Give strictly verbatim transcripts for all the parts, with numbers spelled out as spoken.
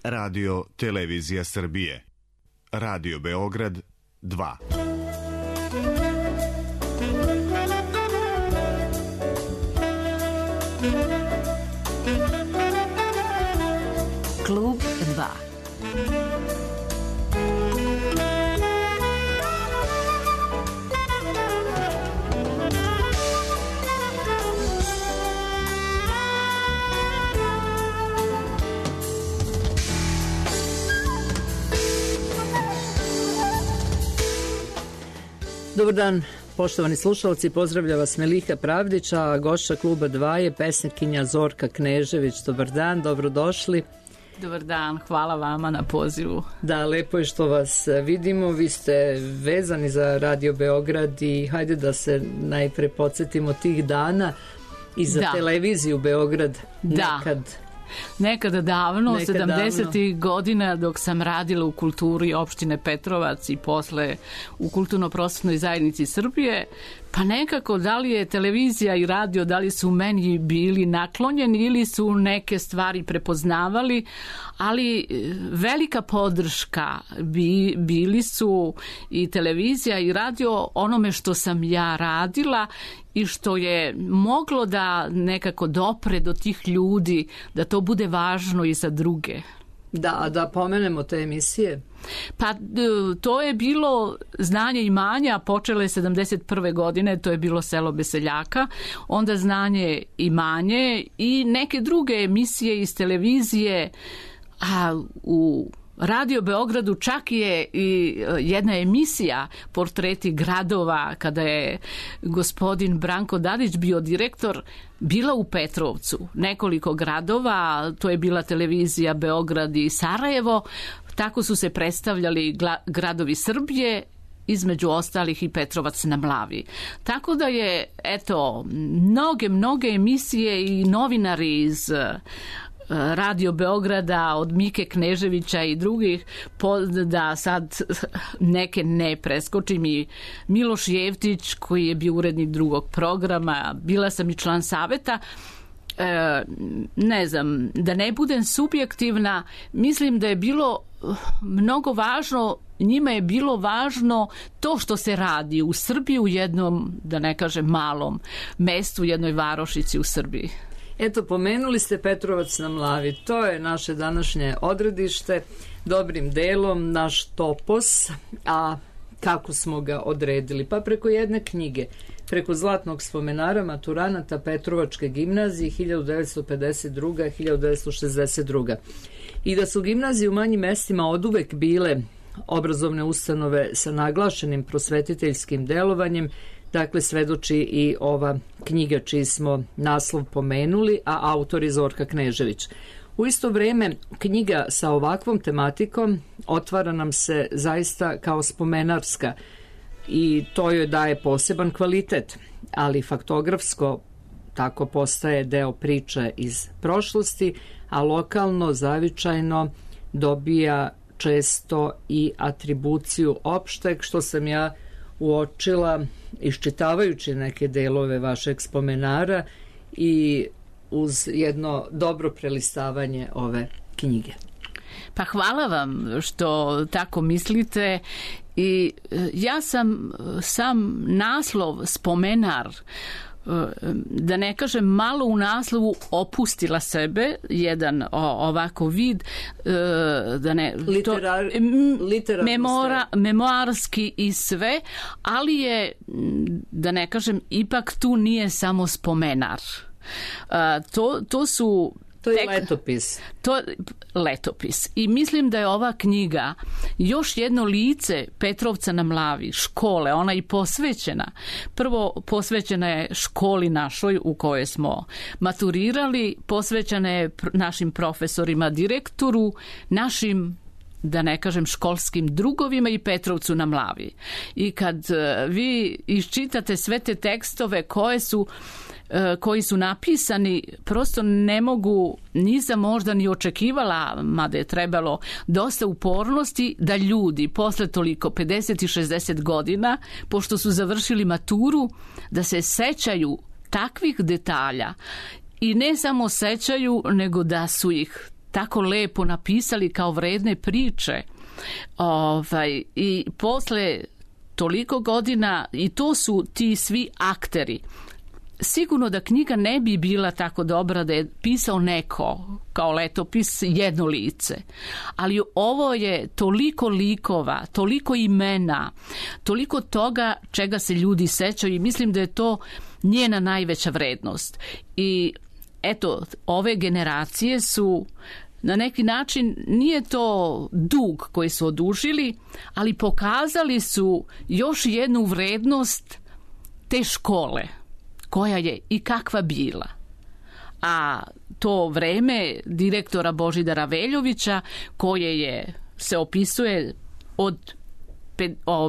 Radio Televizija Srbije. Radio Beograd dva. Klub dva. Dobar dan, poštovani slušalci, pozdravlja vas Meliha Pravdić, a gošća Kluba dva je pesnikinja Zorka Knežević. Dobar dan, dobrodošli. Dobar dan, hvala vama na pozivu. Da, lepo je što vas vidimo, vi ste vezani za Radio Beograd i hajde da se najpre podsjetimo tih dana i za da. Televiziju Beograd da. nekad. Nekada davno, Nekad sedamdesetih godina, dok sam radila u kulturi opštine Petrovac i posle u kulturno-prosvetnoj zajednici Srbije, pa nekako da li je televizija i radio, da li su meni bili naklonjeni ili su neke stvari prepoznavali, ali velika podrška bi, bili su i televizija i radio onome što sam ja radila i što je moglo da nekako dopre do tih ljudi, da to bude važno i za druge. Da, da pomenemo te emisije. Pa to je bilo Znanje i manje, počelo je sedamdeset prve godine, to je bilo Selo bez seljaka, onda Znanje i manje i neke druge emisije iz televizije, a u Radio Beogradu čak je i jedna emisija Portreti gradova, kada je gospodin Branko Dadić bio direktor, bila u Petrovcu. Nekoliko gradova, to je bila televizija Beograd i Sarajevo, tako su se predstavljali gradovi Srbije, između ostalih i Petrovac na Mlavi. Tako da je, eto, mnoge, mnoge emisije i novinari iz Radio Beograda, od Mike Kneževića i drugih, da sad neke ne preskočim, i Miloš Jevtić koji je bio urednik drugog programa, bila sam i član saveta. E, ne znam, da ne budem subjektivna, mislim da je bilo mnogo važno, njima je bilo važno to što se radi u Srbiji, u jednom, da ne kažem malom mestu, u jednoj varošici u Srbiji. Eto, pomenuli ste Petrovac na Mlavi, to je naše današnje odredište, dobrim delom naš topos, a kako smo ga odredili? Pa preko jedne knjige, preko zlatnog spomenara maturanata Petrovačke gimnazije hiljadu devetsto pedeset druga do hiljadu devetsto šezdeset druga. I da su gimnazije u manjim mestima oduvek bile obrazovne ustanove sa naglašenim prosvetiteljskim delovanjem, dakle svedoči i ova knjiga čiji smo naslov pomenuli, a autor je Zorka Knežević. U isto vreme knjiga sa ovakvom tematikom otvara nam se zaista kao spomenarska i to joj daje poseban kvalitet, ali faktografsko tako postaje deo priče iz prošlosti, a lokalno, zavičajno dobija često i atribuciju opšteg, što sam ja uočila iščitavajući neke delove vašeg spomenara i uz jedno dobro prelistavanje ove knjige. Pa hvala vam što tako mislite i ja sam sam naslov spomenar, da ne kažem malo u naslovu, opustila sebe, jedan o, ovako vid, da ne, Literar, to, memora, memoarski i sve, ali je, da ne kažem, ipak tu nije samo spomenar. To, to su To je letopis. To letopis. I mislim da je ova knjiga još jedno lice Petrovca na Mlavi, škole, ona i posvećena. Prvo, posvećena je školi našoj u kojoj smo maturirali, posvećena je našim profesorima, direktoru, našim, da ne kažem, školskim drugovima i Petrovcu na Mlavi. I kad vi iščitate sve te tekstove koje su koji su napisani, prosto ne mogu, nisam možda ni očekivala, mada je trebalo dosta upornosti, da ljudi posle toliko pedeset i šezdeset godina, pošto su završili maturu, da se sećaju takvih detalja i ne samo sećaju, nego da su ih tako lepo napisali kao vredne priče. Ovaj, i posle toliko godina, i to su ti svi akteri. Sigurno da knjiga ne bi bila tako dobra da je pisao neko kao letopis jedno lice. Ali ovo je toliko likova, toliko imena, toliko toga čega se ljudi sećaju i mislim da je to njena najveća vrednost. I eto, ove generacije su na neki način, nije to dug koji su odužili, ali pokazali su još jednu vrednost te škole, koja je i kakva bila. A to vreme direktora Božidara Veljovića, koje je, se opisuje od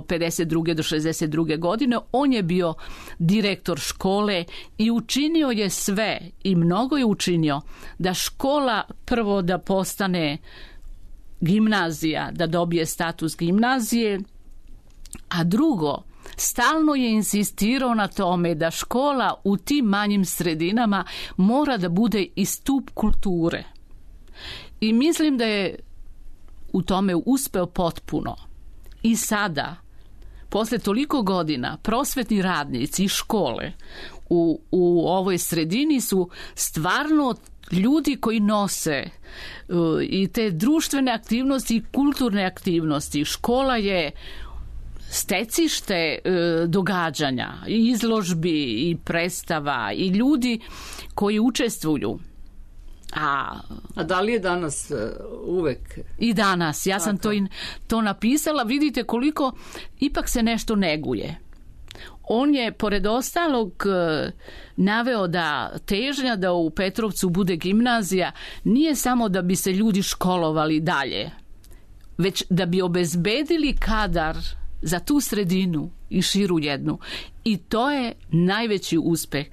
pedeset druge do šezdeset druge godine, on je bio direktor škole i učinio je sve i mnogo je učinio da škola prvo da postane gimnazija, da dobije status gimnazije, a drugo, stalno je insistirao na tome da škola u tim manjim sredinama mora da bude i stup kulture. I mislim da je u tome uspeo potpuno. I sada, posle toliko godina, prosvetni radnici i škole u, u ovoj sredini su stvarno ljudi koji nose uh, i te društvene aktivnosti i kulturne aktivnosti. Škola je stecište e, događanja, i izložbi, i predstava, i ljudi koji učestvuju. A, A da li je danas uh, uvek? I danas. Ja sam to, in, to napisala. Vidite koliko ipak se nešto neguje. On je, pored ostalog, naveo da težnja da u Petrovcu bude gimnazija nije samo da bi se ljudi školovali dalje, već da bi obezbedili kadar za tu sredinu i širu jednu. I to je najveći uspeh.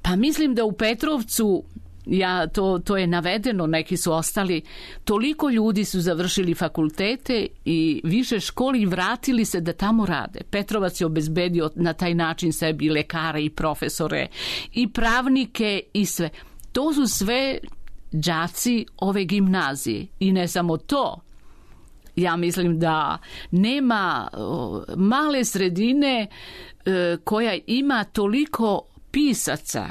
Pa mislim da u Petrovcu, ja, to, to je navedeno, neki su ostali, toliko ljudi su završili fakultete i više školi i vratili se da tamo rade. Petrovac je obezbedio na taj način sebi lekare i profesore i pravnike i sve. To su sve đaci ove gimnazije. I ne samo to. Ja mislim da nema o, male sredine e, koja ima toliko pisaca,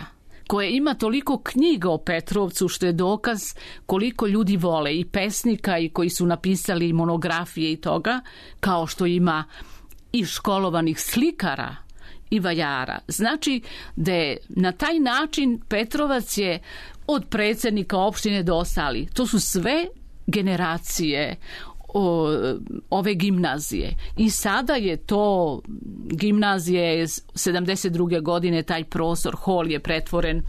koja ima toliko knjiga o Petrovcu, što je dokaz koliko ljudi vole i pesnika i koji su napisali monografije i toga, kao što ima i školovanih slikara i vajara. Znači da je na taj način Petrovac je od predsjednika opštine do ostali. To su sve generacije o, ove gimnazije. I sada je to gimnazije sedamdeset druge godine, taj prostor, hol je pretvoren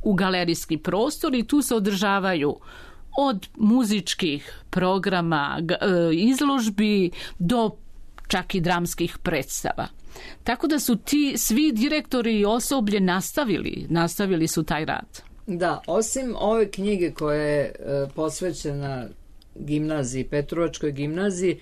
u galerijski prostor i tu se održavaju od muzičkih programa, izložbi do čak i dramskih predstava. Tako da su ti svi direktori i osoblje nastavili, nastavili su taj rad. Da, osim ove knjige koja je e, posvećena gimnaziji, Petrovačkoj gimnaziji,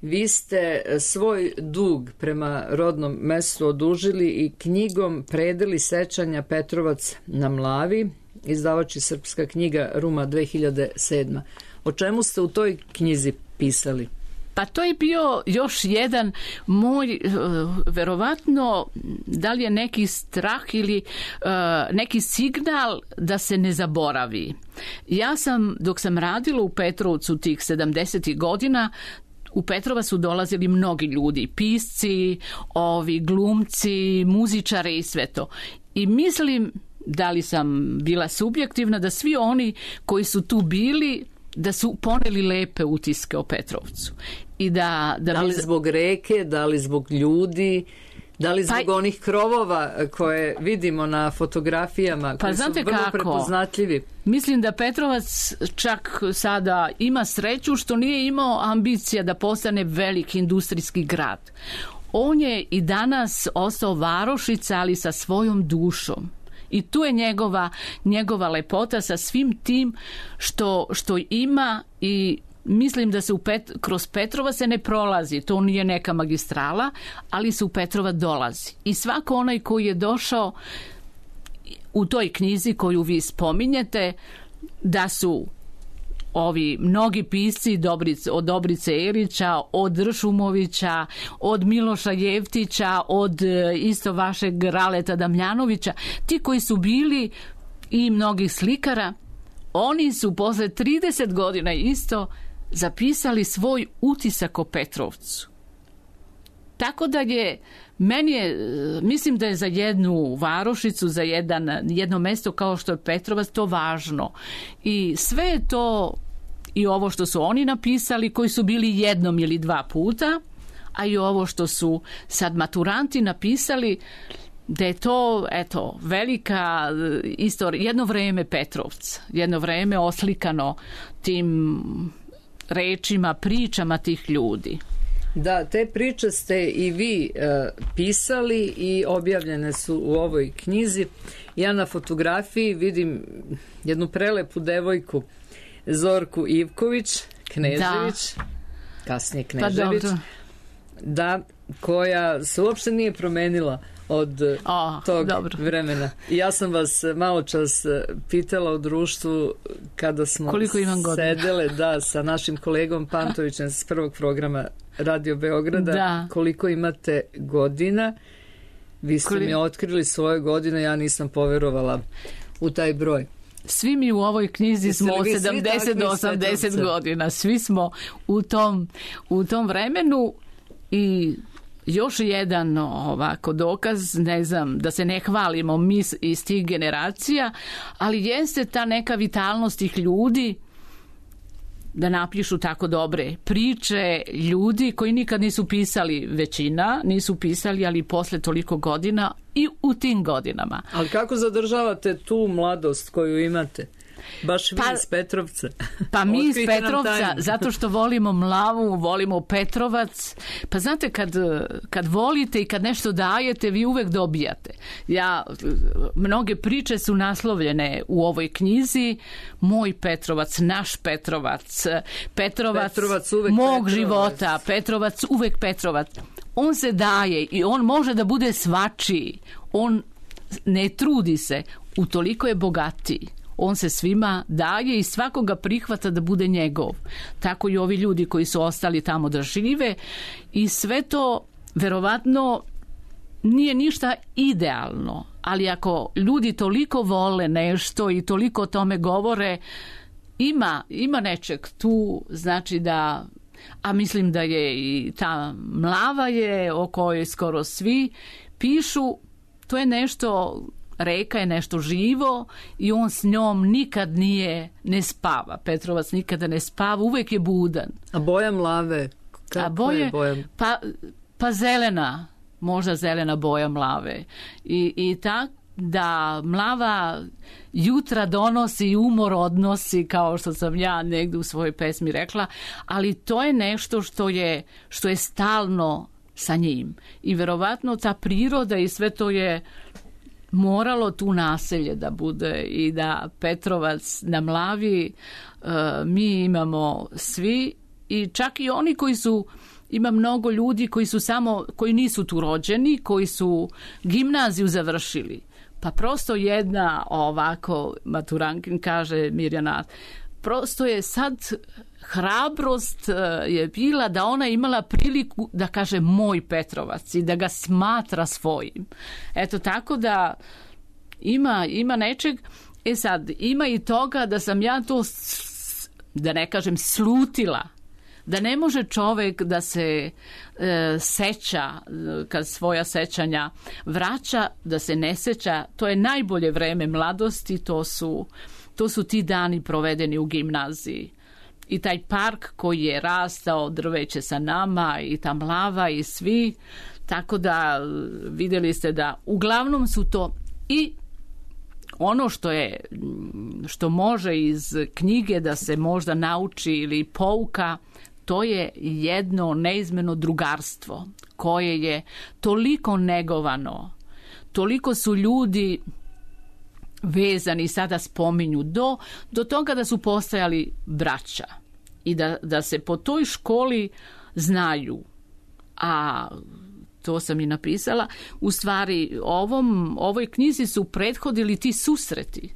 vi ste svoj dug prema rodnom mestu odužili i knjigom Predeli sećanja Petrovac na Mlavi, izdavači Srpska knjiga, Ruma, dve hiljade sedma. O čemu ste u toj knjizi pisali? Pa to je bio još jedan moj, verovatno, da li je neki strah ili uh, neki signal da se ne zaboravi. Ja sam, dok sam radila u Petrovcu tih sedamdesetih godina, u Petrovac su dolazili mnogi ljudi, pisci, ovi glumci, muzičari i sve to. I mislim, da li sam bila subjektivna, da svi oni koji su tu bili, da su poneli lepe utiske o Petrovcu. I da, da, da li bi... zbog reke, da li zbog ljudi, da li zbog pa... onih krovova koje vidimo na fotografijama, koji pa, su vrlo kako? prepoznatljivi. Mislim da Petrovac čak sada ima sreću što nije imao ambicija da postane veliki industrijski grad. On je i danas ostao varošica, ali sa svojom dušom. I tu je njegova, njegova lepota sa svim tim što, što ima i mislim da se u Pet, kroz Petrova se ne prolazi, to nije neka magistrala, ali se u Petrova dolazi. I svako onaj koji je došao u toj knjizi koju vi spominjete, da su ovi mnogi pisci Dobrice, od Dobrice Erića, od Ršumovića, od Miloša Jeftića, od isto vašeg Raleta Damljanovića, ti koji su bili i mnogih slikara, oni su posle trideset godina isto zapisali svoj utisak o Petrovcu. Tako da je, meni je, mislim da je za jednu varošicu, za jedan, jedno mesto kao što je Petrovac to važno. I sve je to, i ovo što su oni napisali, koji su bili jednom ili dva puta, a i ovo što su sad maturanti napisali, da je to, eto, velika istorija, jedno vreme Petrovca, jedno vreme oslikano tim rečima, pričama tih ljudi. Da, te priče ste i vi e, pisali i objavljene su u ovoj knjizi. Ja na fotografiji vidim jednu prelepu devojku, Zorku Ivković, Knežević, da. kasnije Knežević, pa da, koja se uopšte nije promenila od o, tog dobro. vremena. I ja sam vas malo čas pitala u društvu kada smo sedele da, sa našim kolegom Pantovićem s prvog programa Radio Beograda, da. koliko imate godina. Vi ste Koli... mi otkrili svoje godine, ja nisam poverovala u taj broj. Svi mi u ovoj knjizi smo od sedamdeset do osamdeset godina. Svi smo u tom, u tom vremenu. I još jedan ovako dokaz, ne znam, da se ne hvalimo mi iz tih generacija, ali jeste ta neka vitalnost tih ljudi da napišu tako dobre priče, ljudi koji nikad nisu pisali, većina nisu pisali, ali posle toliko godina i u tim godinama. Ali kako zadržavate tu mladost koju imate? Baš vi pa, iz Petrovca. Pa mi iz Petrovca, zato što volimo Mlavu, volimo Petrovac. Pa znate, kad, kad volite i kad nešto dajete, vi uvek dobijate. Ja, mnoge priče su naslovljene u ovoj knjizi. Moj Petrovac, naš Petrovac, Petrovac, Petrovac mog Petrovac. života, Petrovac, uvek Petrovac. On se daje i on može da bude svačiji. On ne trudi se, utoliko je bogatiji. On se svima daje i svakoga prihvata da bude njegov. Tako i ovi ljudi koji su ostali tamo da žive. I sve to, verovatno, nije ništa idealno. Ali ako ljudi toliko vole nešto i toliko o tome govore, ima, ima nečeg tu, znači da... A mislim da je i ta Mlava je o kojoj skoro svi pišu, to je nešto... Reka je nešto živo i on s njom nikad nije, ne spava. Petrovac nikada ne spava, uvek je budan. A boja Mlave? Kako A boje, je boja? Pa, pa zelena, možda zelena boja Mlave. I, i tak da Mlava jutra donosi i umor odnosi, kao što sam ja negdje u svojoj pesmi rekla, ali to je nešto što je, što je stalno sa njim. I verovatno ta priroda i sve to je moralo tu naselje da bude i da Petrovac na Mlavi uh, mi imamo svi i čak i oni koji su, ima mnogo ljudi koji su samo, koji nisu tu rođeni, koji su gimnaziju završili. Pa prosto jedna ovako maturankin kaže Mirjana, prosto je sad hrabrost je bila da ona imala priliku da kaže moj Petrovac i da ga smatra svojim. Eto tako da ima, ima nečeg. E sad, ima i toga da sam ja to, da ne kažem, slutila. Da ne može čovek da se e, seća, kad svoja sećanja vraća, da se ne seća. To je najbolje vreme mladosti, to su, to su ti dani provedeni u gimnaziji. I taj park koji je rastao, drveće sa nama i ta Mlava i svi, tako da vidjeli ste da uglavnom su to i ono što je, što može iz knjige da se možda nauči ili pouka, to je jedno neizmjerno drugarstvo koje je toliko negovano, toliko su ljudi vezani, sada spominju, do, do toga da su postajali braća i da, da se po toj školi znaju. A to sam i napisala, u stvari ovom, ovoj knjizi su prethodili ti susreti.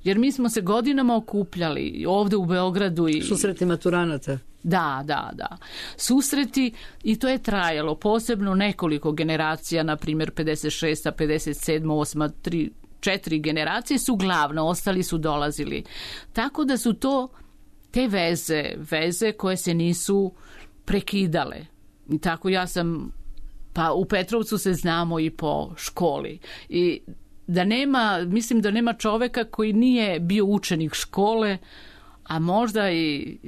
Jer mi smo se godinama okupljali ovdje u Beogradu. I susreti maturanata. Da, da, da. Susreti i to je trajalo posebno nekoliko generacija, na primjer pedeset šesta, pedeset sedma, osma, tri, četiri generacije su glavno, ostali su dolazili. Tako da su to te veze, veze koje se nisu prekidale. I tako ja sam, pa u Petrovcu se znamo i po školi. I da nema, mislim da nema čoveka koji nije bio učenik škole, a možda i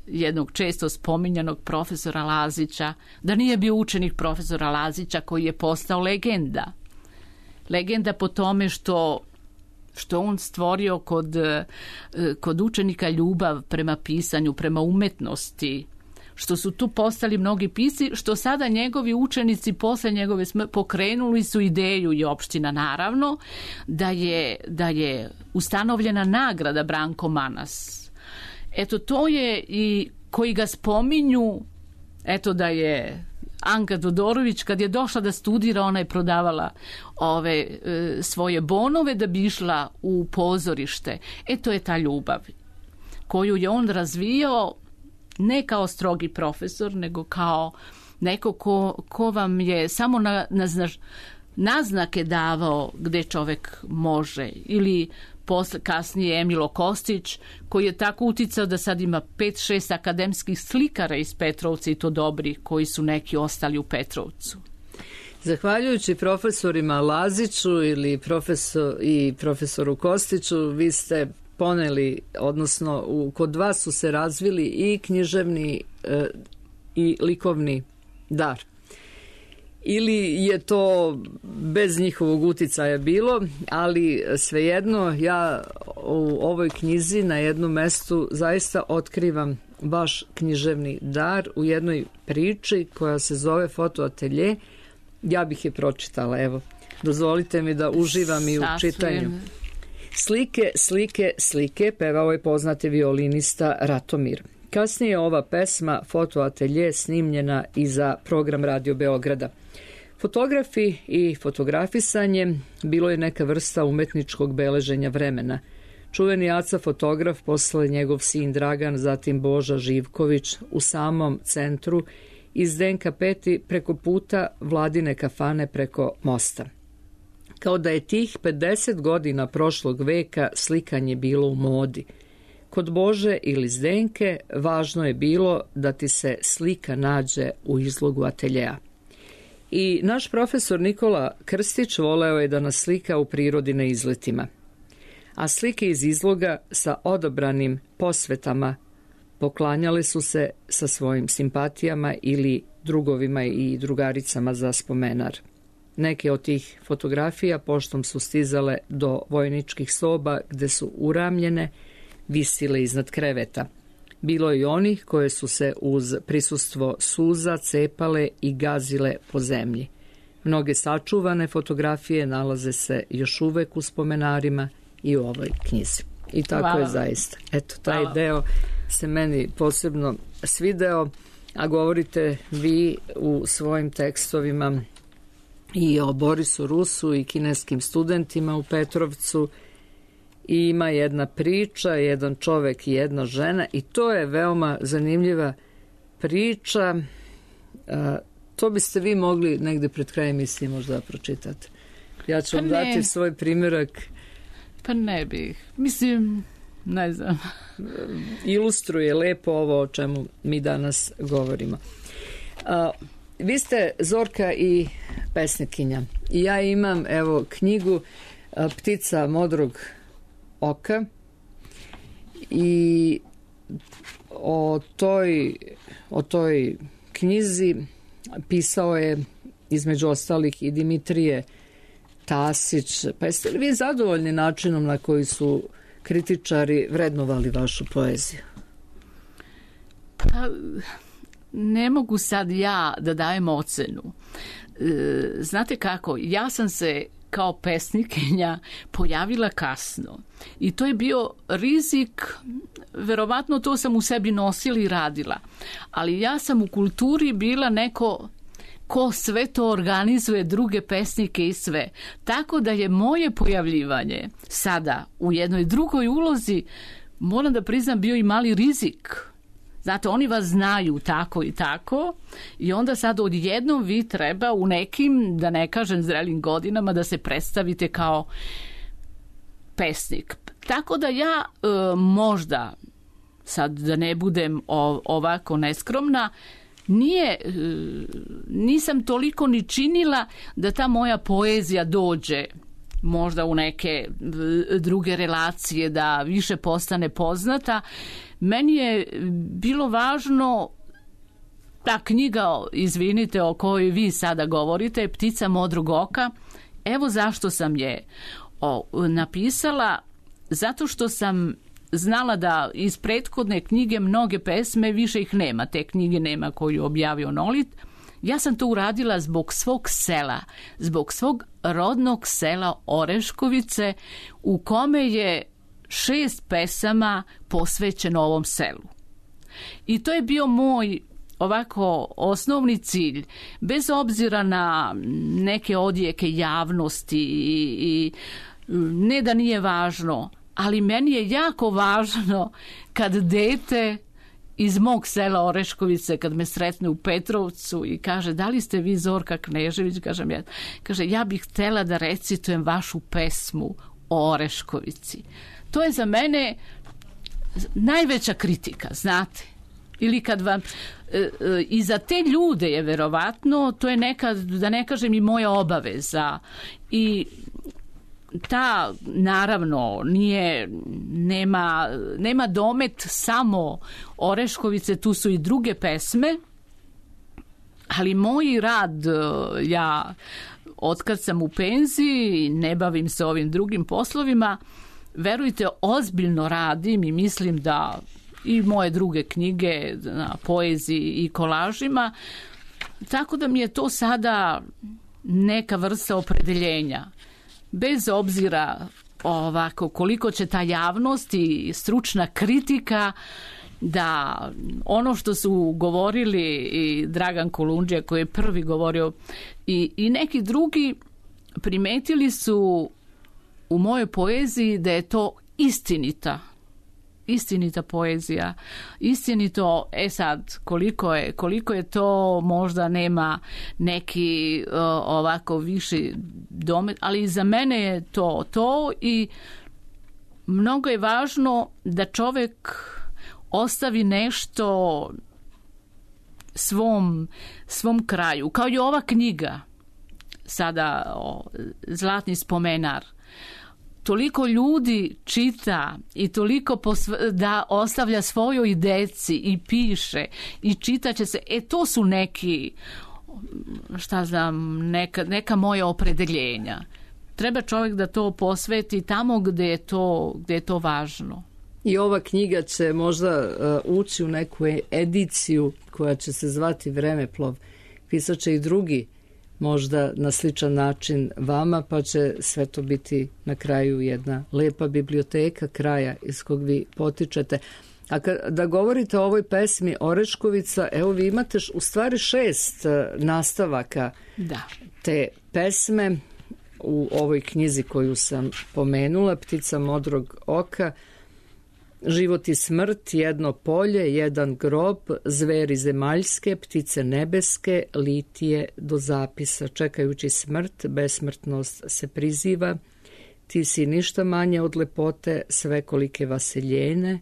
jednog često spominjanog profesora Lazića, da nije bio učenik profesora Lazića koji je postao legenda. Legenda po tome što što on stvorio kod, kod učenika ljubav prema pisanju, prema umetnosti, što su tu postali mnogi pisci, što sada njegovi učenici posle njegove smrti pokrenuli su ideju i opština naravno da je, da je ustanovljena nagrada Branko Manas. Eto, to je i koji ga spominju, eto da je Anka Todorović kad je došla da studira, ona je prodavala ove e, svoje bonove da bi išla u pozorište. E, to je ta ljubav koju je on razvijao ne kao strogi profesor, nego kao neko ko, ko vam je samo na, na, naznake davao gde čovek može. Ili posle, kasnije Emilo Kostić, koji je tako uticao da sad ima pet šest akademskih slikara iz Petrovca i to dobri, koji su neki ostali u Petrovcu. Zahvaljujući profesorima Laziću ili profesor, i profesoru Kostiću, vi ste poneli, odnosno u, kod vas su se razvili i književni e, i likovni dar. Ili je to bez njihovog uticaja bilo, ali svejedno ja u ovoj knjizi na jednom mestu zaista otkrivam vaš književni dar u jednoj priči koja se zove Fotoatelje. Ja bih je pročitala, evo. Dozvolite mi da uživam i u čitanju. Slike, slike, slike, pevao je poznati violinista Ratomir. Kasnije je ova pesma Fotoatelje snimljena i za program Radio Beograda. Fotografi i fotografisanje bilo je neka vrsta umetničkog beleženja vremena. Čuveni Aca fotograf, posle njegov sin Dragan, zatim Boža Živković u samom centru i Zdenka Peti preko puta Vladine kafane preko mosta. Kao da je tih pedeset godina prošlog veka slikanje bilo u modi. Kod Bože ili Zdenke važno je bilo da ti se slika nađe u izlogu ateljea. I naš profesor Nikola Krstić voleo je da nas slika u prirodi na izletima. A slike iz izloga sa odabranim posvetama poklanjale su se sa svojim simpatijama ili drugovima i drugaricama za spomenar. Neke od tih fotografija poštom su stizale do vojničkih soba gde su uramljene, visile iznad kreveta. Bilo je i onih koje su se uz prisustvo suza cepale i gazile po zemlji. Mnoge sačuvane fotografije nalaze se još uvek u spomenarima i u ovoj knjizi. I tako Hvala. Je zaista. Eto, taj Hvala. Deo se meni posebno svideo, a govorite vi u svojim tekstovima i o Borisu Rusu i kineskim studentima u Petrovcu. I ima jedna priča, jedan čovek i jedna žena i to je veoma zanimljiva priča. A, to biste vi mogli negde pred krajem misli možda da pročitate. Ja ću vam dati svoj primjerak. Pa ne bih. Mislim, ne znam. Ilustruje lepo ovo o čemu mi danas govorimo. A, vi ste Zorka i pesnikinja. I ja imam, evo, knjigu a, Ptica modrog oka i o toj, o toj knjizi pisao je između ostalih i Dimitrije Tasić. Pa jeste li vi zadovoljni načinom na koji su kritičari vrednovali vašu poeziju? Pa ne mogu sad ja da dajem ocenu. Znate kako, ja sam se kao pesnikinja pojavila kasno i to je bio rizik, verovatno to sam u sebi nosila i radila, ali ja sam u kulturi bila neko ko sve to organizuje, druge pesnike i sve. Tako da je moje pojavljivanje sada u jednoj drugoj ulozi, moram da priznam, bio i mali rizik. Znate, oni vas znaju tako i tako i onda sad odjednom vi treba u nekim, da ne kažem zrelim godinama, da se predstavite kao pesnik. Tako da ja e, možda, sad da ne budem o, ovako neskromna, nije, e, nisam toliko ni činila da ta moja poezija dođe možda u neke druge relacije, da više postane poznata. Meni je bilo važno ta knjiga, izvinite, o kojoj vi sada govorite, Ptica modrog oka. Evo zašto sam je o, napisala, zato što sam znala da iz prethodne knjige mnoge pesme, više ih nema, te knjige nema koju objavio Nolit. Ja sam to uradila zbog svog sela, zbog svog rodnog sela Oreškovice, u kome je šest pesama posvećeno ovom selu. I to je bio moj ovako osnovni cilj, bez obzira na neke odjeke javnosti i, i ne da nije važno, ali meni je jako važno kad dete iz mog sela Oreškovice, kad me sretne u Petrovcu i kaže, da li ste vi Zorka Knežević? Kažem ja. Kaže, ja bih htela da recitujem vašu pesmu o Oreškovici. To je za mene najveća kritika, znate. Ili kad vam, e, e, i za te ljude je verovatno, to je neka, da ne kažem, i moja obaveza. I ta, naravno, nije, nema, nema domet samo Oreškovice, tu su i druge pesme, ali moj rad, ja otkad sam u penziji, ne bavim se ovim drugim poslovima, verujte, ozbiljno radim i mislim da i moje druge knjige na poeziji i kolažima, tako da mi je to sada neka vrsta opredeljenja. Bez obzira ovako koliko će ta javnost i stručna kritika, da ono što su govorili i Dragan Kolundžija koji je prvi govorio i, i neki drugi primetili su u mojoj poeziji da je to istinita istinita poezija, istinito, e sad, koliko je, koliko je to, možda nema neki uh, ovako viši domet, ali za mene je to to i mnogo je važno da čovjek ostavi nešto svom, svom kraju, kao i ova knjiga sada o, Zlatni spomenar. Toliko ljudi čita i toliko posv- da ostavlja svojoj deci i piše i čitaće se. E, to su neki, šta znam, neka, neka moja opredeljenja. Treba čovjek da to posveti tamo gdje je to, gdje je to važno. I ova knjiga će možda uh, ući u neku ediciju koja će se zvati Vremeplov. Pisat će i drugi možda na sličan način vama, pa će sve to biti na kraju jedna lepa biblioteka kraja iz kog vi potičete. A kada govorite o ovoj pesmi Oreškovica, evo vi imate u stvari šest nastavaka da. te pesme u ovoj knjizi koju sam pomenula, Ptica modrog oka, Život i smrt, Jedno polje, Jedan grob, Zveri zemaljske, Ptice nebeske, Litije do zapisa. Čekajući smrt, besmrtnost se priziva. Ti si ništa manje od lepote, svekolike vaseljene.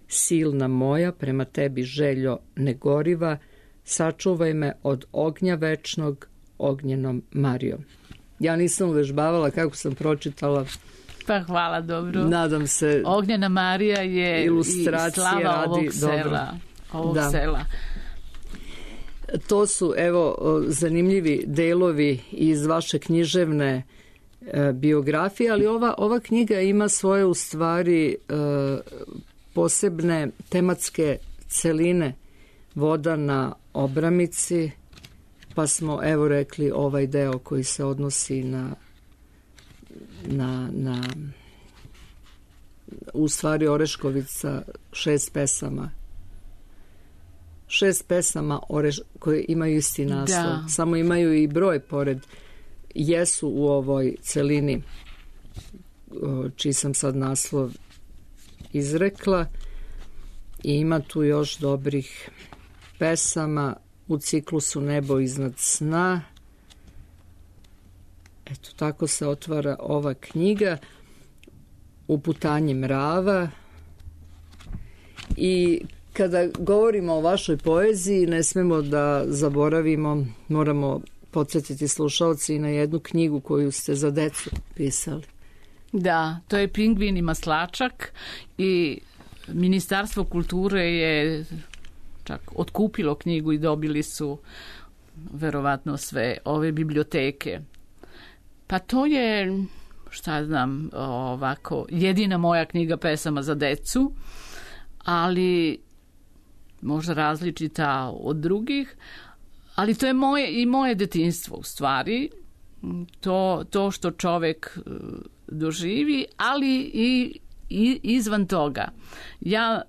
Silna moja, prema tebi željo negoriva. Sačuvaj me od ognja večnog, ognjenom Marijom. Ja nisam uvežbavala kako sam pročitala. Pa hvala, dobro. Nadam se. Ognjena Marija je ilustracija i slava radi, ovog sela. Ovog da. sela. To su, evo, zanimljivi delovi iz vaše književne e, biografije, ali ova, ova knjiga ima svoje, u stvari, e, posebne tematske celine. Voda na Obramici, pa smo, evo, rekli ovaj deo koji se odnosi na na, na u stvari Oreškovica, šest pesama šest pesama oreš, koje imaju isti naslov, da. Samo imaju i broj pored, jesu u ovoj celini čiji sam sad naslov izrekla, i ima tu još dobrih pesama u ciklusu Nebo iznad sna. Eto, tako se otvara ova knjiga, Uputanje mrava. I kada govorimo o vašoj poeziji, ne smemo da zaboravimo, moramo podsjetiti slušalci na jednu knjigu koju ste za decu pisali. Da, to je Pingvin i maslačak, i Ministarstvo kulture je čak otkupilo knjigu i dobili su verovatno sve ove biblioteke. Pa to je, šta znam, ovako, jedina moja knjiga pesama za decu, ali možda različita od drugih, ali to je moje i moje detinjstvo u stvari, to, to što čovek doživi, ali i, i izvan toga. Ja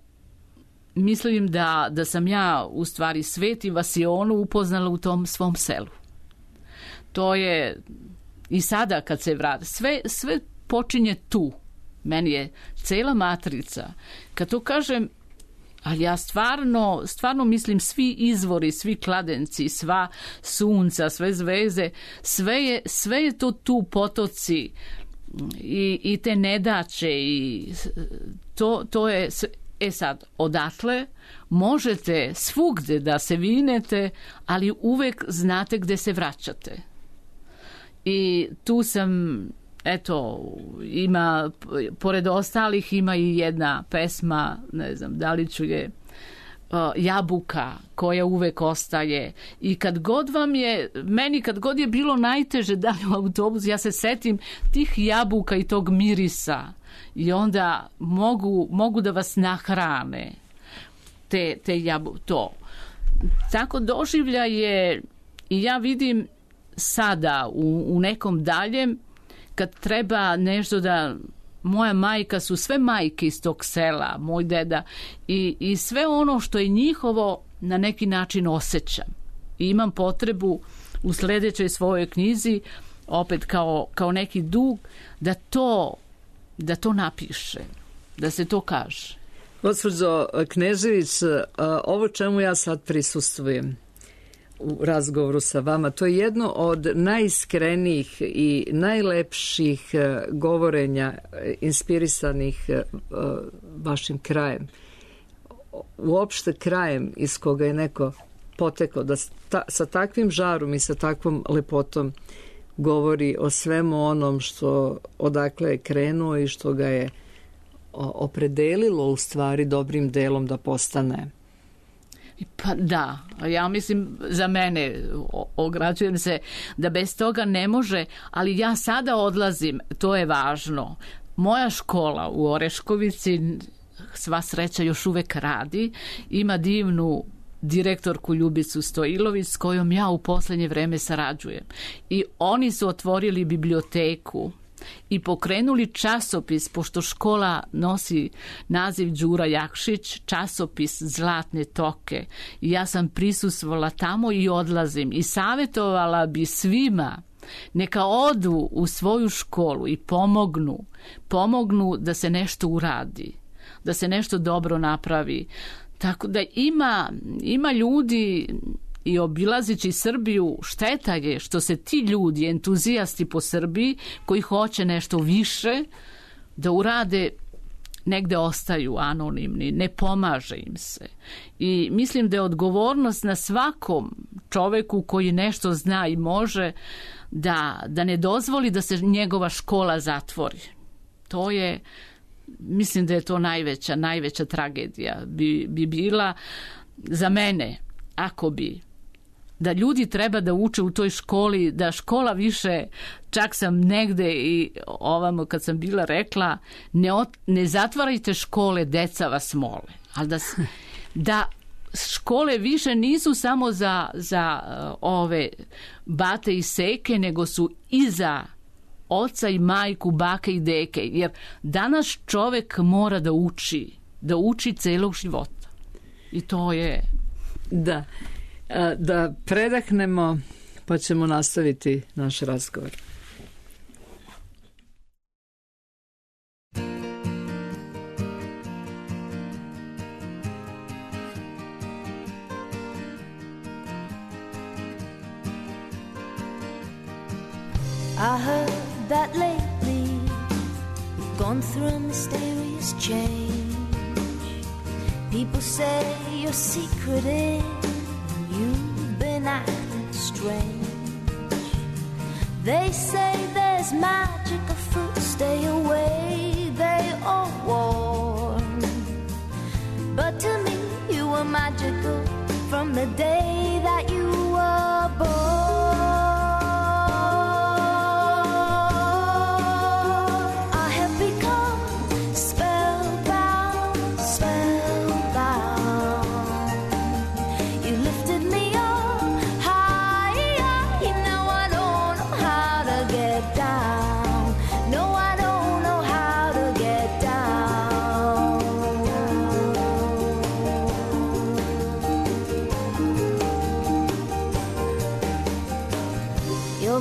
mislim da, da sam ja u stvari svet i Vasionu upoznala u tom svom selu. To je i sada kad se vrati, sve, sve počinje tu. Meni je cela matrica. Kad to kažem, ali ja stvarno, stvarno mislim svi izvori, svi kladenci, sva sunca, sve zvezde, sve je, sve je to tu, potoci i, i te nedaće i to, to je... E sad, odatle možete svugde da se vinete, ali uvek znate gde se vraćate. I tu sam, eto, ima, pored ostalih ima i jedna pesma, ne znam, da li ću je, uh, Jabuka, koja uvek ostaje. I kad god vam je, meni kad god je bilo najteže da li u autobusu, ja se setim tih jabuka i tog mirisa. I onda mogu, mogu da vas nahrane te, te jabu, to. Tako doživlja je, i ja vidim sada u, u nekom daljem, kad treba nešto da, moja majka su sve majke iz tog sela, moj deda, i, i sve ono što je njihovo na neki način osjećam. I imam potrebu u sledećoj svojoj knjizi, opet kao, kao neki dug, da to da to napiše, da se to kaže. Gospođo Knežević, ovo čemu ja sad prisustvujem u razgovoru sa vama, to je jedno od najiskrenijih i najlepših govorenja inspirisanih vašim krajem. Uopšte krajem iz koga je neko potekao, da ta, sa takvim žarom i sa takvom lepotom govori o svemu onom što odakle je krenuo i što ga je opredelilo u stvari dobrim delom da postane. Pa da, ja mislim za mene, ograđujem se da bez toga ne može, ali ja sada odlazim, to je važno. Moja škola u Oreškovici, sva sreća još uvek radi, ima divnu direktorku Ljubicu Stojilović s kojom ja u poslednje vreme sarađujem. I oni su otvorili biblioteku i pokrenuli časopis, pošto škola nosi naziv Đura Jakšić, časopis Zlatne toke. I ja sam prisustvovala tamo i odlazim i savjetovala bi svima neka odu u svoju školu i pomognu, pomognu da se nešto uradi, da se nešto dobro napravi. Tako da ima, ima ljudi, i obilazići Srbiju, šteta je što se ti ljudi, entuzijasti po Srbiji, koji hoće nešto više da urade, negde ostaju anonimni, ne pomaže im se. I mislim da je odgovornost na svakom čoveku koji nešto zna i može da, da ne dozvoli da se njegova škola zatvori. To je... Mislim da je to najveća, najveća tragedija bi, bi bila za mene, ako bi, da ljudi treba da uče u toj školi, da škola više, čak sam negde i ovamo kad sam bila rekla, ne, ot, ne zatvarajte škole, deca vas mole, ali da, da škole više nisu samo za, za ove bate i seke, nego su i za oca i majku, bake i deke, jer danas čovek mora da uči, da uči celog života. I to je... Da. Da predahnemo, pa ćemo nastaviti naš razgovor. I heard that lately you've gone through a mysterious change. People say your secret is you've been acting strange. They say there's magic afoot, stay away, they all warn. But to me you were magical from the day that you were born.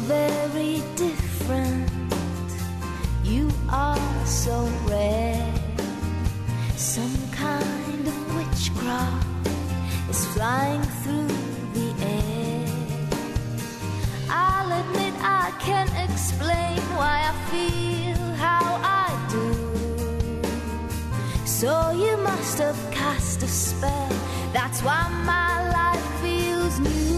Very different, you are so rare. Some kind of witchcraft is flying through the air. I'll admit I can't explain why I feel how I do. So you must have cast a spell, that's why my life feels new.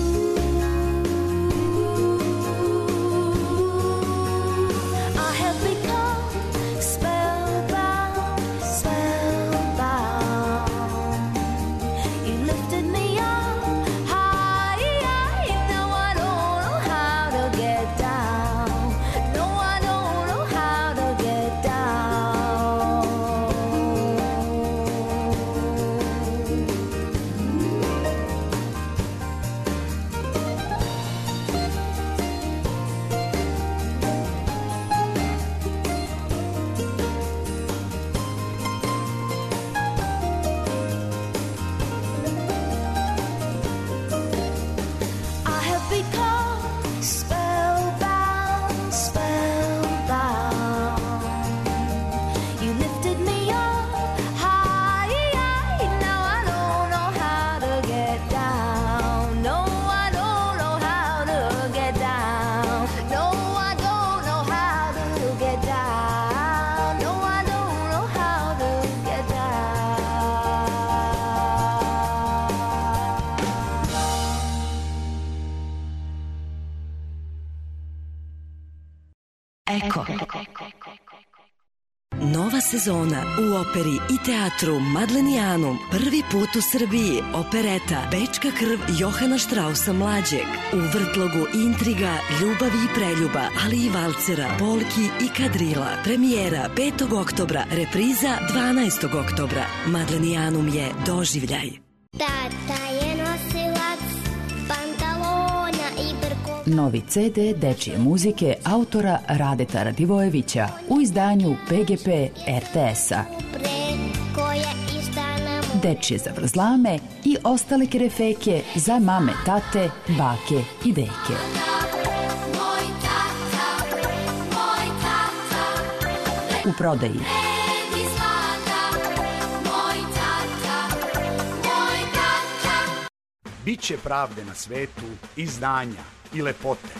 Eko. Nova sezona u operi i teatru Madlenijanum. Prvi put u Srbiji opereta Bečka krv Johana Štrausa mlađeg. U vrtlogu intriga, ljubavi i preljuba, ali i valcera, polki i kadrila. Premijera petog oktobra, repriza dvanaestog oktobra. Madlenijanum je doživljaj. Tata je nosilac pantalona i brkova. Novi ce de dečije muzike autora Radeta Radivojevića u izdanju pe ge pe er te es-a. Dečije zavrzlame i ostale kerefeke za mame, tate, bake i deke. U prodaji. Biće pravde na svetu i znanja i lepote.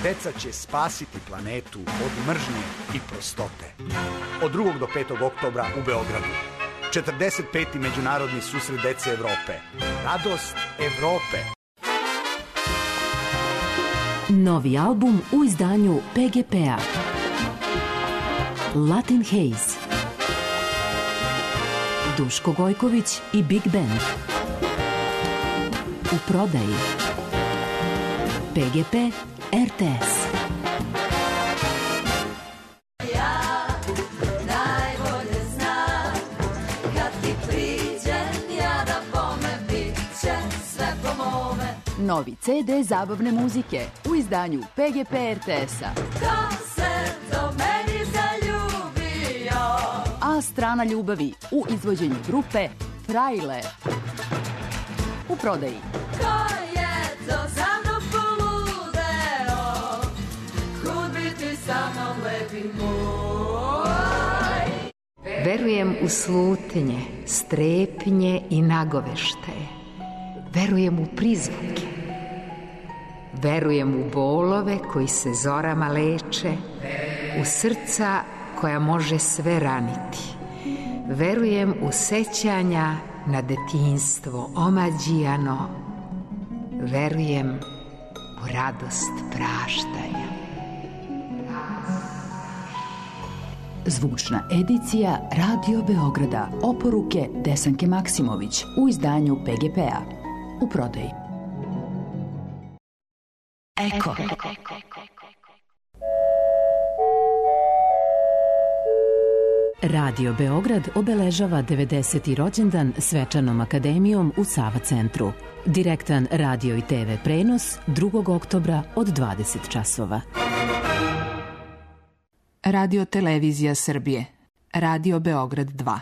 Deca će spasiti planetu od mržnje i prostote. Od drugog do petog oktobra u Beogradu. četrdeset peti Međunarodni susret dece Evrope. Radost Evrope. Novi album u izdanju pe ge pe-a. Latin Haze. Duško Gojković i Big Band. U prodaji. pe ge pe er te es. Ja najbolje znam kad ti priđem ja da bome bit će sve po mome. Novi ce de zabavne muzike u izdanju pe ge pe er te es-a. Ko se do meni zaljubio? A strana ljubavi u izvođenju grupe Frajle. u prodaji. Ko je to za mnom poludeo, kud biti sa mnom lepi moj. Verujem u slutnje, strepnje i nagoveštaje. Verujem u prizvuke. Verujem u bolove koji se zorama leče, u srca koja može sve raniti. Verujem u sećanja na detinjstvo omađijano. Verujem u radost praštanja. Zvučna edicija Radio Beograda. Oporuke Desanke Maksimović u izdanju P G P-a. U prodaji. Eko. Radio Beograd obeležava devedeseti rođendan svečanom akademijom u Sava centru. Direktan radio i te ve prenos drugog oktobra od dvadeset časova. Radio Televizija Srbije. Radio Beograd dva.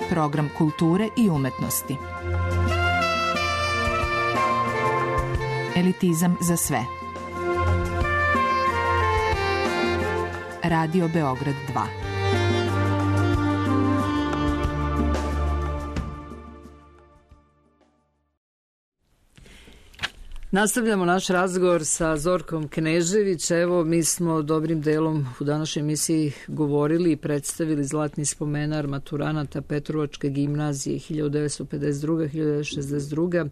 Program kulture i umetnosti. Elitizam za sve. Radio Beograd dva. Nastavljamo naš razgovor sa Zorkom Knežević. Evo, mi smo dobrim delom u današnjoj emisiji govorili i predstavili zlatni spomenar maturanata Petrovačke gimnazije hiljadu devetsto pedeset druga do hiljadu devetsto šezdeset druga.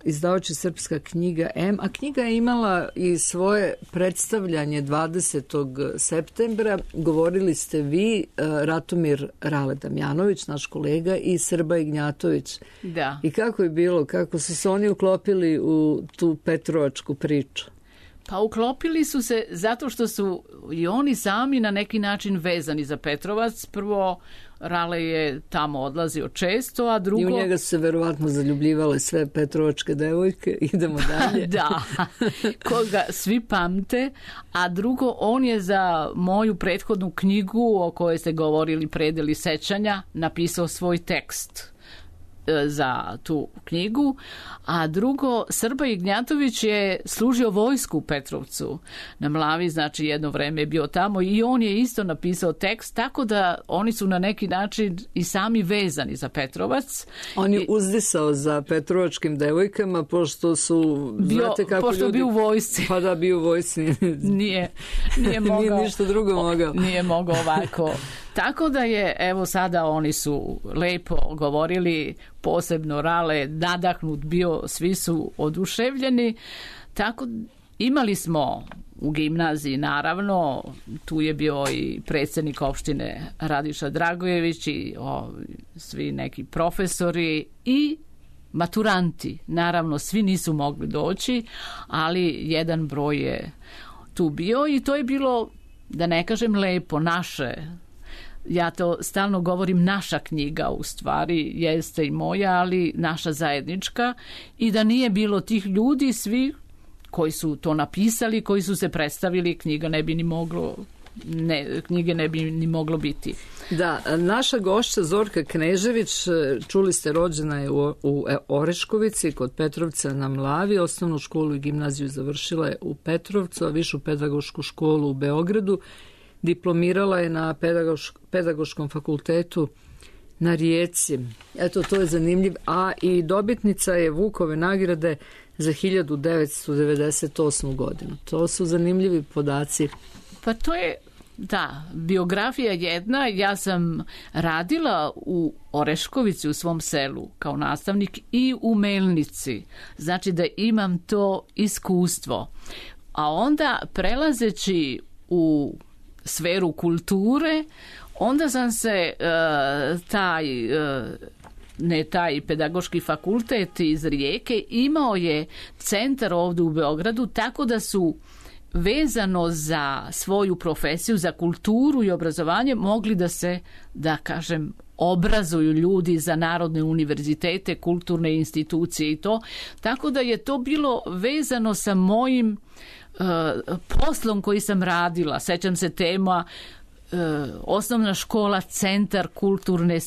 Izdavač Srpska knjiga M, a knjiga je imala i svoje predstavljanje dvadesetog septembra. Govorili ste vi, Ratomir Rale Damjanović, naš kolega, i Srba Ignjatović. Da. I kako je bilo, kako su se oni uklopili u tu petrovačku priču? Pa uklopili su se zato što su i oni sami na neki način vezani za Petrovac. Prvo, Rale je tamo odlazio često, a drugo... I u njega su se verovatno zaljubljivale sve petrovačke devojke. Idemo dalje. Da, koga svi pamte. A drugo, on je za moju prethodnu knjigu o kojoj ste govorili, Predeli sećanja, napisao svoj tekst za tu knjigu, a drugo, Srba Ignjatović je služio vojsku u Petrovcu na Mlavi, znači jedno vreme je bio tamo i on je isto napisao tekst, tako da oni su na neki način i sami vezani za Petrovac. On je uzdisao za petrovačkim devojkama, pošto su, bio, znate kako pošto ljudi... bio u vojsci. Pa da, bio u vojsci. nije, nije mogao... Nije ništa drugo mogao. Nije mogao ovako... Tako da je, evo sada oni su lepo govorili, posebno Rale, nadahnut bio, svi su oduševljeni. Tako imali smo u gimnaziji, naravno, tu je bio i predsjednik opštine Radiša Dragojević i o, svi neki profesori i maturanti. Naravno, svi nisu mogli doći, ali jedan broj je tu bio i to je bilo, da ne kažem lepo, naše. Ja to stalno govorim, naša knjiga u stvari jeste i moja, ali naša zajednička, i da nije bilo tih ljudi, svi koji su to napisali, koji su se predstavili, knjiga ne bi ni moglo, ne, knjige ne bi ni moglo biti. Da, naša gošća Zorka Knežević, čuli ste, rođena je u, u Oreškovici kod Petrovca na Mlavi, osnovnu školu i gimnaziju završila je u Petrovcu, a višu pedagošku školu u Beogradu. Diplomirala je na pedagošk, pedagoškom fakultetu na Rijeci. Eto, to je zanimljiv. A i dobitnica je Vukove nagrade za hiljadu devetsto devedeset osmu godinu. To su zanimljivi podaci. Pa to je, da, biografija jedna. Ja sam radila u Oreškovici, u svom selu, kao nastavnik, i u Melnici. Znači da imam to iskustvo. A onda, prelazeći u sferu kulture, onda sam se uh, taj uh, ne taj pedagoški fakultet iz Rijeke imao je centar ovdje u Beogradu, tako da su vezano za svoju profesiju, za kulturu i obrazovanje mogli da se, da kažem, obrazuju ljudi za narodne univerzitete, kulturne institucije i to. Tako da je to bilo vezano sa mojim Uh, poslom koji sam radila. Sećam se tema osnovna škola centar kulturne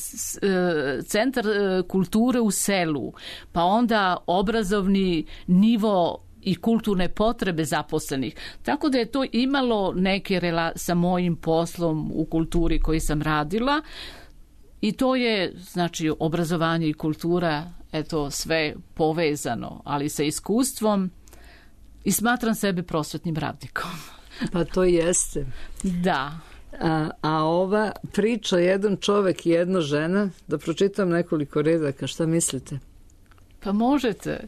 centar kulture u selu, pa onda obrazovni nivo i kulturne potrebe zaposlenih. Tako da je to imalo neke rela sa mojim poslom u kulturi koji sam radila i to je, znači, obrazovanje i kultura, eto, sve povezano, ali sa iskustvom i smatram sebe prosvetnim radnikom. Pa to jeste. Da. A, a ova priča jedan čovek i jedna žena, da pročitam nekoliko redaka, šta mislite? Pa možete.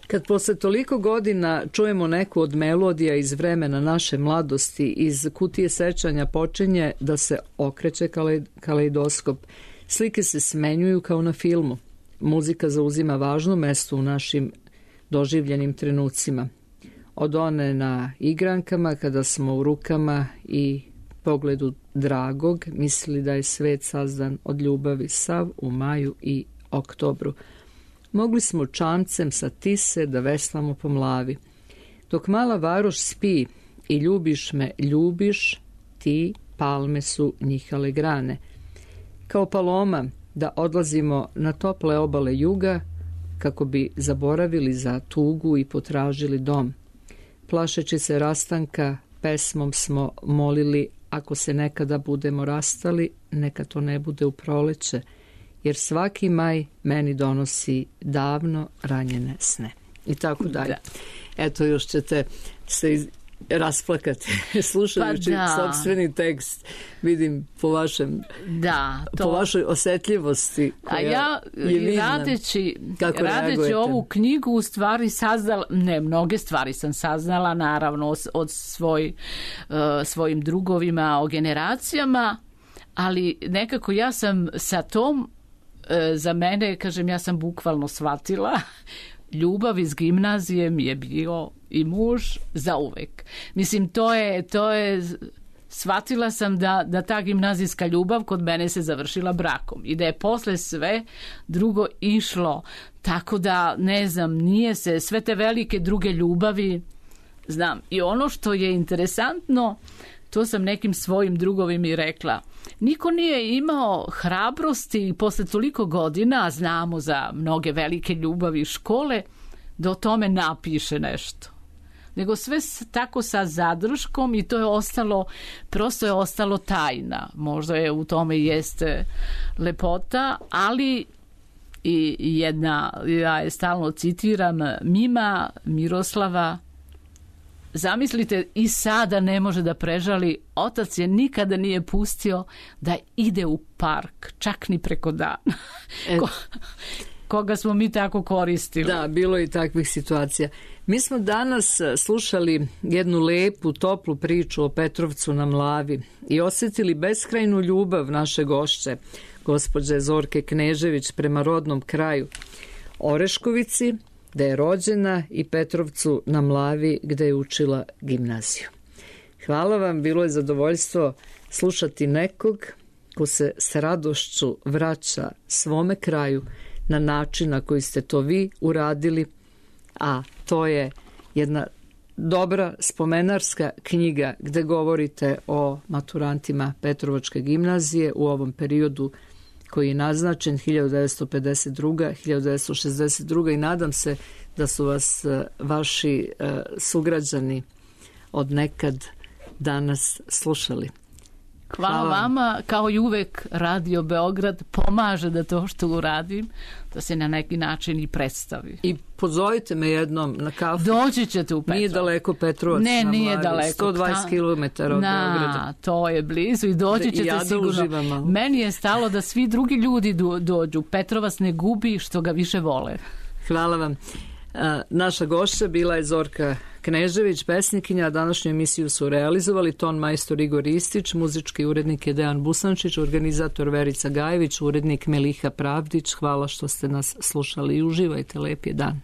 Kad posle toliko godina čujemo neku od melodija iz vremena naše mladosti, iz kutije sećanja počinje da se okreće kaleidoskop. Slike se smenjuju kao na filmu. Muzika zauzima važno mesto u našim doživljenim trenucima. Od one na igrankama, kada smo u rukama i pogledu dragog mislili da je svet sazdan od ljubavi, sav u maju i oktobru. Mogli smo čamcem sa Tise da veslamo po mlavi. Dok mala varoš spi i ljubiš me, ljubiš, ti palme su njihale grane. Kao paloma da odlazimo na tople obale juga kako bi zaboravili za tugu i potražili dom. Plašeći se rastanka, pesmom smo molili, ako se nekada budemo rastali, neka to ne bude u proleće, jer svaki maj meni donosi davno ranjene sne. I tako dalje. Da. Eto, još ćete se iz... rasplakati slušajući pa sopstveni tekst, vidim po vašem da, to... po vašoj osetljivosti koja a ja je vidna. radeći, radeći ovu knjigu u stvari saznala, ne, mnoge stvari sam saznala naravno od svoj, uh, svojim drugovima o generacijama, ali nekako ja sam sa tom uh, za mene, kažem, ja sam bukvalno shvatila ljubav iz gimnazije mi je bio i muž za uvek. Mislim, to je, to je shvatila sam da, da ta gimnazijska ljubav kod mene se završila brakom i da je posle sve drugo išlo. Tako da, ne znam, nije se sve te velike druge ljubavi, znam. I ono što je interesantno, to sam nekim svojim drugovima i rekla. Niko nije imao hrabrosti posle toliko godina, znamo za mnoge velike ljubavi škole, da o tome napiše nešto. Nego sve tako sa zadrškom i to je ostalo, prosto je ostalo tajna. Možda je u tome jeste lepota, ali i jedna, ja je stalno citiram, Mima Miroslava, zamislite, i sada ne može da prežali, otac je nikada nije pustio da ide u park, čak ni preko dana. Ko, koga smo mi tako koristili. Da, bilo je i takvih situacija. Mi smo danas slušali jednu lepu, toplu priču o Petrovcu na Mlavi i osjetili beskrajnu ljubav naše gošće, gospođe Zorke Knežević, prema rodnom kraju Oreškovici, gde je rođena, i Petrovcu na Mlavi, gde je učila gimnaziju. Hvala vam, bilo je zadovoljstvo slušati nekog ko se s radošću vraća svome kraju na način na koji ste to vi uradili, a to je jedna dobra spomenarska knjiga gde govorite o maturantima Petrovačke gimnazije u ovom periodu koji je naznačen hiljadu devetsto pedeset druga do hiljadu devetsto šezdeset druga i nadam se da su vas vaši sugrađani od nekad danas slušali. Hvala, Hvala vama, kao i uvek Radio Beograd pomaže da to što uradim, da se na neki način i predstavi. I pozovite me jednom na kafu. Doći ćete u Petrovac. Nije daleko Petrovac. Ne, na nije Mlavi, daleko. sto dvadeset kilometara od na, Beograda. To je blizu i doći ćete ja sigurno. Meni je stalo da svi drugi ljudi do, dođu. Petrovac ne gubi što ga više vole. Hvala vam. A, naša gošća bila je Zorka Knežević, pesnikinja, a današnju emisiju su realizovali ton majstor Igor Istić, muzički urednik je Dejan Busančić, organizator Verica Gajević, urednik Meliha Pravdić. Hvala što ste nas slušali i uživajte, lep je dan.